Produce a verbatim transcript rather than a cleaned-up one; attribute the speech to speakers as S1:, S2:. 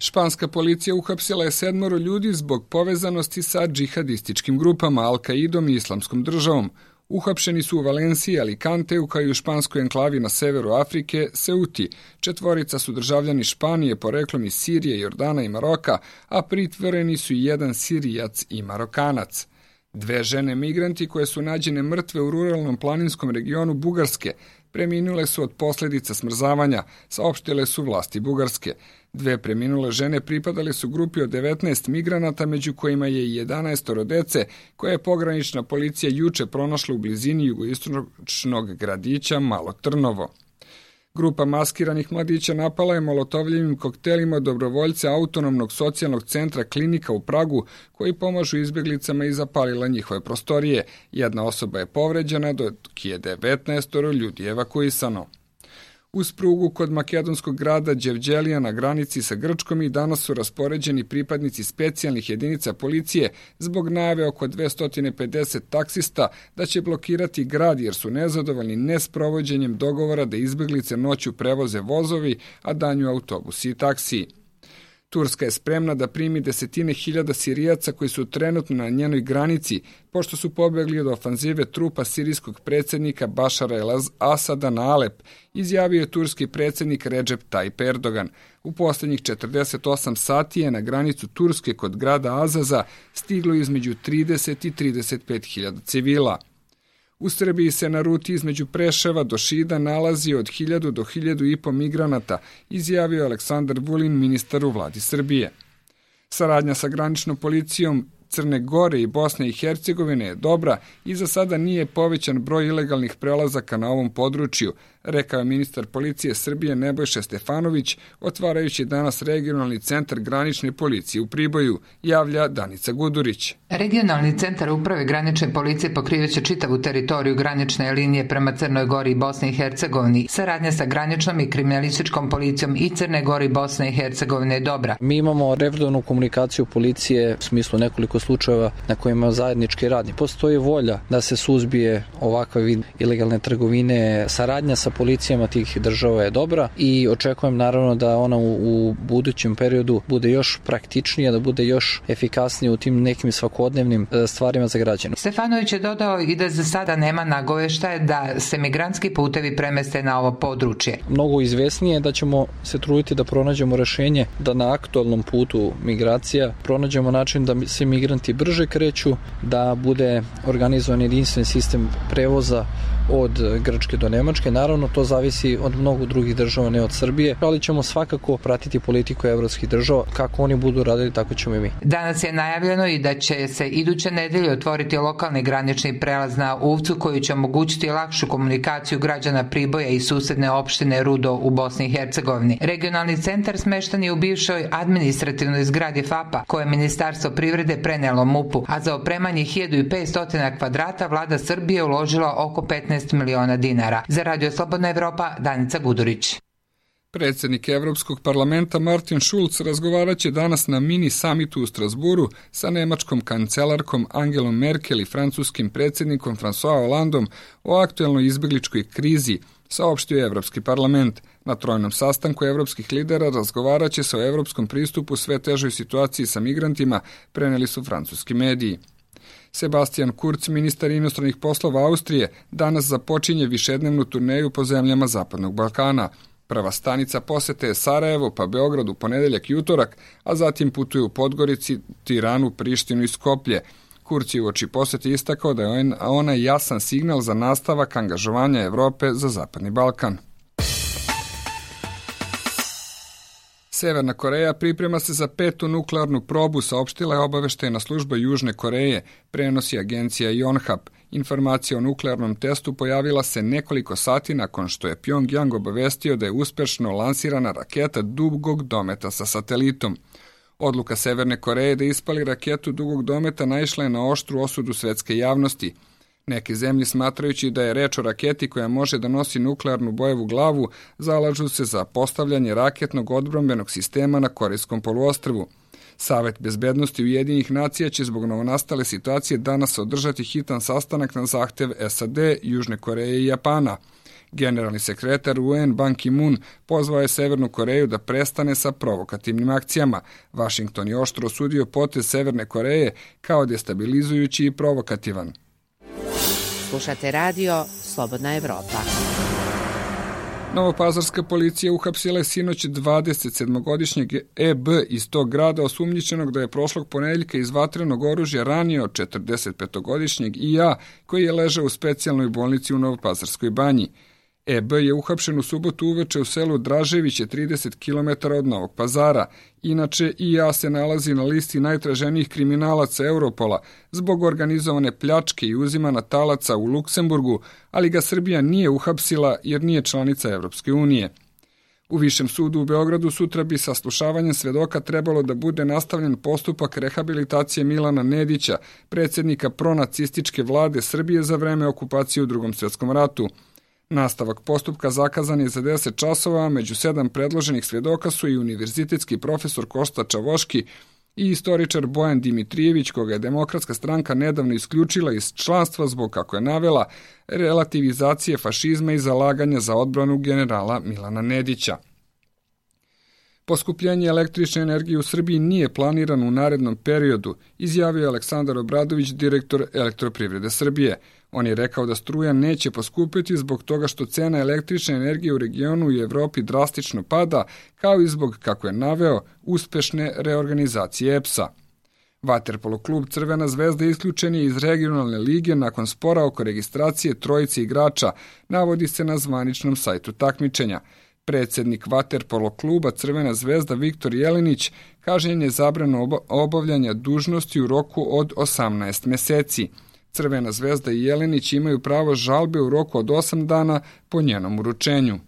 S1: Španska policija uhapsila je sedmoro ljudi zbog povezanosti sa džihadističkim grupama Al-Kaidom i Islamskom državom. Uhapšeni su u Valenciji, Alicanteu, kao i u španskoj enklavi na severu Afrike, Ceuti. Četvorica su državljani Španije, poreklom iz Sirije, Jordana i Maroka, a pritvoreni su i jedan Sirijac i Marokanac. Dve žene migranti koje su nađene mrtve u ruralnom planinskom regionu Bugarske preminule su od posljedica smrzavanja, saopštile su vlasti Bugarske. Dve preminule žene pripadale su grupi od devetnaest migranata, među kojima je i jedanaestoro dece, koje je pogranična policija juče pronašla u blizini jugoistočnog gradića Malo Trnovo. Grupa maskiranih mladića napala je molotovljivim koktelima dobrovoljce autonomnog socijalnog centra Klinika u Pragu, koji pomažu izbjeglicama i zapalila njihove prostorije. Jedna osoba je povređena, dok je devetnaestoro ljudi evakuisano. Uz prugu kod makedonskog grada Đevđelija na granici sa Grčkom i danas su raspoređeni pripadnici specijalnih jedinica policije zbog najave oko dvesta pedeset taksista da će blokirati grad jer su nezadovoljni nesprovođenjem dogovora da izbjeglice noću prevoze vozovi, a danju autobusi i taksiji. Turska je spremna da primi desetine hiljada Sirijaca koji su trenutno na njenoj granici, pošto su pobjegli od ofanzive trupa sirijskog predsjednika Bašara el-Asada na Alep, izjavio je turski predsjednik Recep Tayyip Erdogan. U posljednjih četrdeset osam sati je na granicu Turske kod grada Azaza stiglo između trideset i trideset pet hiljada civila. U Srbiji se na ruti između Preševa do Šida nalazi od hiljadu do hiljadu i po migranata, izjavio Aleksandar Vulin, ministar u vladi Srbije. Saradnja sa graničnom policijom Crne Gore i Bosne i Hercegovine je dobra i za sada nije povećan broj ilegalnih prelazaka na ovom području, rekao je ministar policije Srbije Nebojša Stefanović, otvarajući danas regionalni centar granične policije u Priboju, javlja Danica Gudurić.
S2: Regionalni centar uprave granične policije pokrivaće čitavu teritoriju granične linije prema Crnoj Gori i Bosni i Hercegovini. Saradnja sa graničnom i kriminalističkom policijom i Crne Gore i Bosne i Hercegovine je dobra.
S3: Mi imamo redovnu komunikaciju policije u smislu nekoliko slučajeva na kojima zajednički radi. Postoji volja da se suzbije ovakav vid ilegalne trgovine. Saradnja sa policijama tih država je dobra i očekujem naravno da ona u, u budućem periodu bude još praktičnija, da bude još efikasnija u tim nekim svakodnevnim stvarima za građane.
S2: Stefanović je dodao i da za sada nema nagoveštaja da se migrantski putevi premeste na ovo područje.
S3: Mnogo izvesnije je da ćemo se truditi da pronađemo rešenje da na aktualnom putu migracija pronađemo način da se migranti brže kreću, da bude organizovan jedinstven sistem prevoza od Grčke do Nemačke. Naravno, to zavisi od mnogo drugih država, ne od Srbije, ali ćemo svakako pratiti politiku evropskih država. Kako oni budu radili, tako ćemo i mi.
S2: Danas je najavljeno i da će se iduće nedelje otvoriti lokalni granični prelaz na Uvcu, koji će omogućiti lakšu komunikaciju građana Priboja i susedne opštine Rudo u Bosni i Hercegovini. Regionalni centar smešten je u bivšoj administrativnoj zgradi F A P-a, koje je Ministarstvo privrede prenelo M U P-u, a za opremanje hiljadu petsto kvadrata vlada Srbije uložila oko petnaest miliona dinara. Za Radio Slobodna Evropa, Danica Gudurić.
S1: Predsjednik Evropskog parlamenta Martin Schulz razgovarat će danas na mini samitu u Strasburu sa nemačkom kancelarkom Angelom Merkel i francuskim predsjednikom François Hollandom o aktuelnoj izbjegličkoj krizi, saopštio je Evropski parlament. Na trojnom sastanku evropskih lidera razgovarat će se o evropskom pristupu sve težoj situaciji sa migrantima, preneli su francuski mediji. Sebastian Kurz, ministar inostranih poslova Austrije, danas započinje višednevnu turneju po zemljama Zapadnog Balkana. Prva stanica posete je Sarajevo, pa Beograd u ponedeljak i utorak, a zatim putuju u Podgorici, Tiranu, Prištinu i Skoplje. Kurz je uoči posete istakao da je ona jasan signal za nastavak angažovanja Evrope za Zapadni Balkan. Severna Koreja priprema se za petu nuklearnu probu, saopštila je obaveštajna služba Južne Koreje, prenosi agencija Yonhap. Informacija o nuklearnom testu pojavila se nekoliko sati nakon što je Pyongyang obavestio da je uspešno lansirana raketa dugog dometa sa satelitom. Odluka Severne Koreje da ispali raketu dugog dometa naišla je na oštru osudu svetske javnosti. Neke zemlje, smatrajući da je reč o raketi koja može da nosi nuklearnu bojevu glavu, zalažu se za postavljanje raketnog odbrambenog sistema na Korejskom poluostrvu. Savet bezbednosti Ujedinjenih nacija će zbog novonastale situacije danas održati hitan sastanak na zahtev S A D, Južne Koreje i Japana. Generalni sekretar U N Ban Ki-moon pozvao je Severnu Koreju da prestane sa provokativnim akcijama. Vašington je oštro osudio potez Severne Koreje kao destabilizujući i provokativan.
S4: Slušate radio Slobodna Evropa.
S1: Novopazarska policija uhapsila je sinoć dvadesetsedmogodišnjeg E B iz tog grada osumnjičenog da je prošlog ponedeljka iz vatrenog oružja ranio četrdesetpetogodišnjeg I A koji je ležao u specijalnoj bolnici u Novopazarskoj banji. E B je uhapšen u subotu uveče u selu Draževiće, trideset kilometara od Novog Pazara. Inače, I A se nalazi na listi najtraženijih kriminalaca Europola zbog organizovane pljačke i uzimana talaca u Luksemburgu, ali ga Srbija nije uhapsila jer nije članica Evropske unije. U Višem sudu u Beogradu sutra bi saslušavanjem svedoka trebalo da bude nastavljen postupak rehabilitacije Milana Nedića, predsjednika pronacističke vlade Srbije za vreme okupacije u Drugom svjetskom ratu. Nastavak postupka zakazan je za deset časova, među sedam predloženih svedoka su i univerzitetski profesor Kosta Čavoški i istoričar Bojan Dimitrijević, koga je Demokratska stranka nedavno isključila iz članstva zbog, kako je navela, relativizacije fašizma i zalaganja za odbranu generala Milana Nedića. Poskupljenje električne energije u Srbiji nije planirano u narednom periodu, izjavio je Aleksandar Obradović, direktor Elektroprivrede Srbije. On je rekao da struja neće poskupiti zbog toga što cena električne energije u regionu i Evropi drastično pada, kao i zbog, kako je naveo, uspešne reorganizacije E P S-a. Vaterpolo klub Crvena zvezda isključen je iz regionalne lige nakon spora oko registracije trojice igrača, navodi se na zvaničnom sajtu takmičenja. Predsjednik vaterpolo kluba Crvena zvezda Viktor Jelenić kažnjen je zabranu obavljanja dužnosti u roku od osamnaest meseci. Crvena zvezda i Jelenić imaju pravo žalbe u roku od osam dana po njenom uručenju.